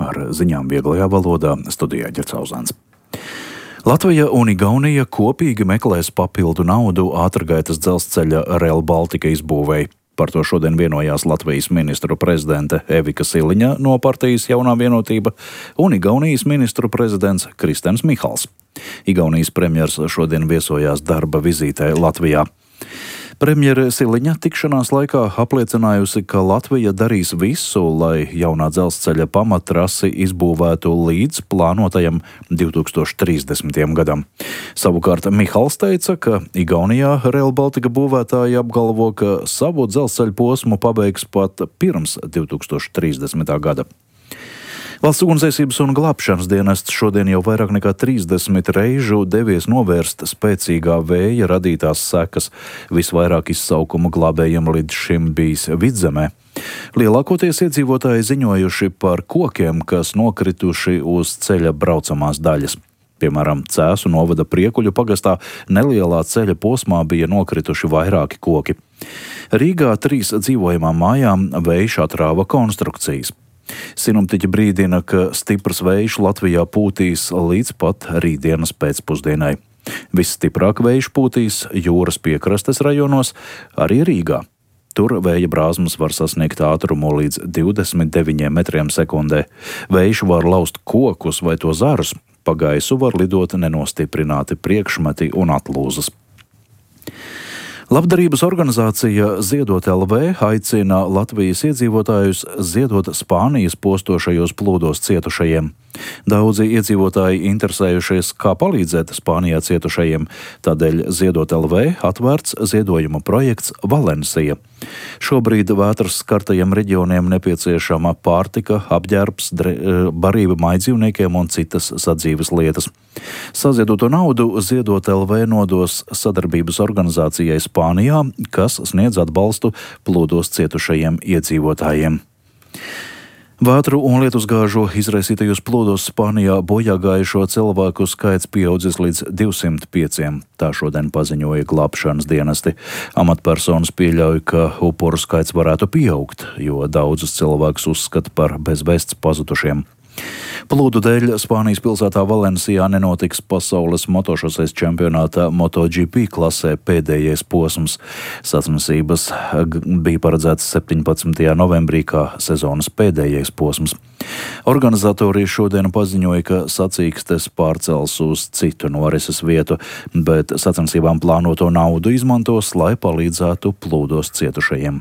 Ar ziņām vieglajā valodā studijā Ģercauzāns. Latvija un Igaunija kopīgi meklēs papildu naudu ātrgaitas dzelzceļa Rail Baltica izbūvēi. Par to šodien vienojās Latvijas ministru prezidente Evika Siliņa no partijas Jaunā vienotība un Igaunijas ministru prezidents Kristens Mihals. Igaunijas premjers šodien viesojās darba vizītē Latvijā. Premjere Siliņa tikšanās laikā apliecinājusi, ka Latvija darīs visu, lai jaunā dzelzceļa pamattrasi izbūvētu līdz plānotajam 2030. gadam. Savukārt Mihals teica, ka Igaunijā Rail Baltica būvētāji apgalvo, ka savu dzelzceļa posmu pabeigs pat pirms 2030. gada. Valsts ugunsdzēsības un glābšanas dienests šodien jau vairāk nekā 30 reižu devies novērst spēcīgā vēja radītās sekas. Visvairāk izsaukumu glābējiem līdz šim bijis Vidzemē. Lielākoties iedzīvotāji ziņojuši par kokiem, kas nokrituši uz ceļa braucamās daļas. Piemēram, Cēsu novada Priekuļu pagastā nelielā ceļa posmā bija nokrituši vairāki koki. Rīgā 3 dzīvojamām mājām vējš atrāva konstrukcijas. Sinoptiķi brīdina, ka stiprs vējš Latvijā pūtīs līdz pat rītdienas pēcpusdienai. Visstiprāk vējš pūtīs jūras piekrastes rajonos, arī Rīgā. Tur vēja brāzmas var sasniegt ātrumu līdz 29 metriem sekundē. Vējš var laust kokus vai to zarus, pa gaisu var lidot nenostiprināti priekšmeti un atlūzas. Labdarības organizācija Ziedot LV aicina Latvijas iedzīvotājus ziedot Spānijas postošajos plūdos cietušajiem. Daudzi iedzīvotāji interesējušies, kā palīdzēt Spānijā cietušajiem, tādēļ Ziedot LV atvērts ziedojuma projekts Valencija. Šobrīd vētras skartajiem reģioniem nepieciešama pārtika, apģērbs, barība mājdzīvniekiem un citas sadzīves lietas. Saziedoto naudu Ziedot LV nodos sadarbības organizācijai Spānijā, kas sniedz atbalstu plūdos cietušajiem iedzīvotājiem. Vētru un lietusgāžu izraisītajos plūdos Spānijā bojā gājušo cilvēku skaits pieaudzis līdz 205. Tā šodien paziņoja glābšanas dienesti. Amatpersonas pieļauj, ka upuru skaits varētu pieaugt, jo daudzus cilvēkus uzskata par bez vēsts pazudušiem. Plūdu dēļ Spānijas pilsētā Valencijā nenotiks pasaules motošoseis čempionāta MotoGP klasē pēdējais posms. Sacensības bija paredzētas 17. novembrī kā sezonas pēdējais posms. Organizatori šodien paziņoja, ka sacīkstes pārcels uz citu norises vietu, bet sacensībām plānoto naudu izmantos, lai palīdzētu plūdos cietušajiem.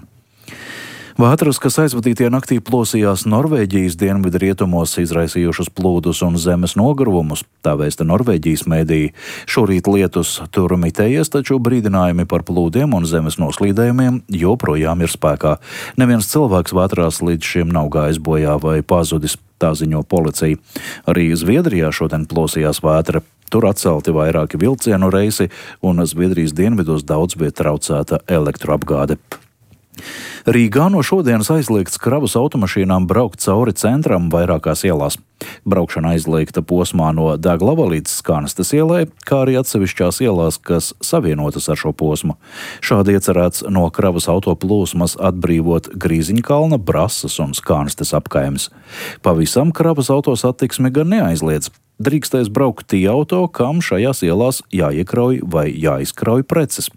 Vētras, kas aizvadītie naktī plosījās Norvēģijas dienvidrietumos, izraisījušas plūdus un zemes nogruvumus, tā vēsta Norvēģijas mēdīji. Šorīt lietus tur mitējies, taču brīdinājumi par plūdiem un zemes noslīdējumiem joprojām ir spēkā. Neviens cilvēks vētrās līdz šim nav gājis bojā vai pazudis, tā ziņo policija. Arī Zviedrijā šodien plosījās vētra. Tur atcelti vairāki vilcienu reisi un Zviedrijas dienvidos daudz viet traucēta elektroapgāde. Rīgā no šodienas aizliegts kravas automašīnām braukt cauri centram vairākās ielās. Braukšana aizliegta posmā no Daglava līdz Skanstes ielai, kā arī atsevišķās ielās, kas savienotas ar šo posmu. Šādi iecerēts no kravas autoplūsmas atbrīvot Grīziņkalna, Brasas un Skanstes apkaimes. Pavisam kravas autosatiksmi gan neaizliedz. Drīkstēs braukt tie auto, kam šajās ielās jāiekrauj vai jāizkrauj preces.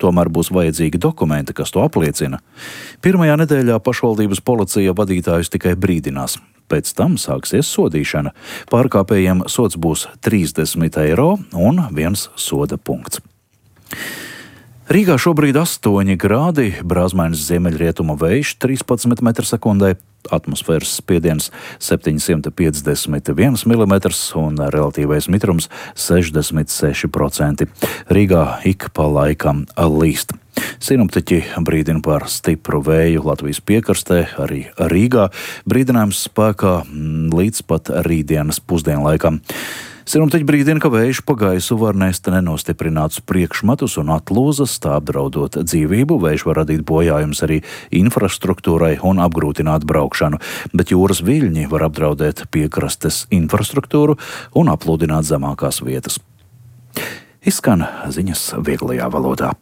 Tomēr būs vajadzīgi dokumenti, kas to apliecina. Pirmajā nedēļā pašvaldības policija vadītājus tikai brīdinās. Pēc tam sāksies sodīšana. Pārkāpējiem sods būs 30 eiro un 1 soda punkts. Rīgā šobrīd 8 grādi, brāzmainis ziemeļrietumu vējš 13 m/sekundē, atmosfēras spiediens 751 mm un relatīvais mitrums 66%. Rīgā ik pa laikam līst. Sinoptiķi brīdina par stipru vēju Latvijas piekrastē, arī Rīgā. Brīdinājums spēkā līdz pat rītdienas pusdienlaikam. Sinoptiķi brīdina, ka vējš pa gaisu var nest nenostiprinātus priekšmetus un atlūzas, tā apdraudot dzīvību. Vējš var radīt bojājumus arī infrastruktūrai un apgrūtināt braukšanu, bet jūras viļņi var apdraudēt piekrastes infrastruktūru un aplūdināt zemākās vietas. Izskan ziņas vieglajā valodā.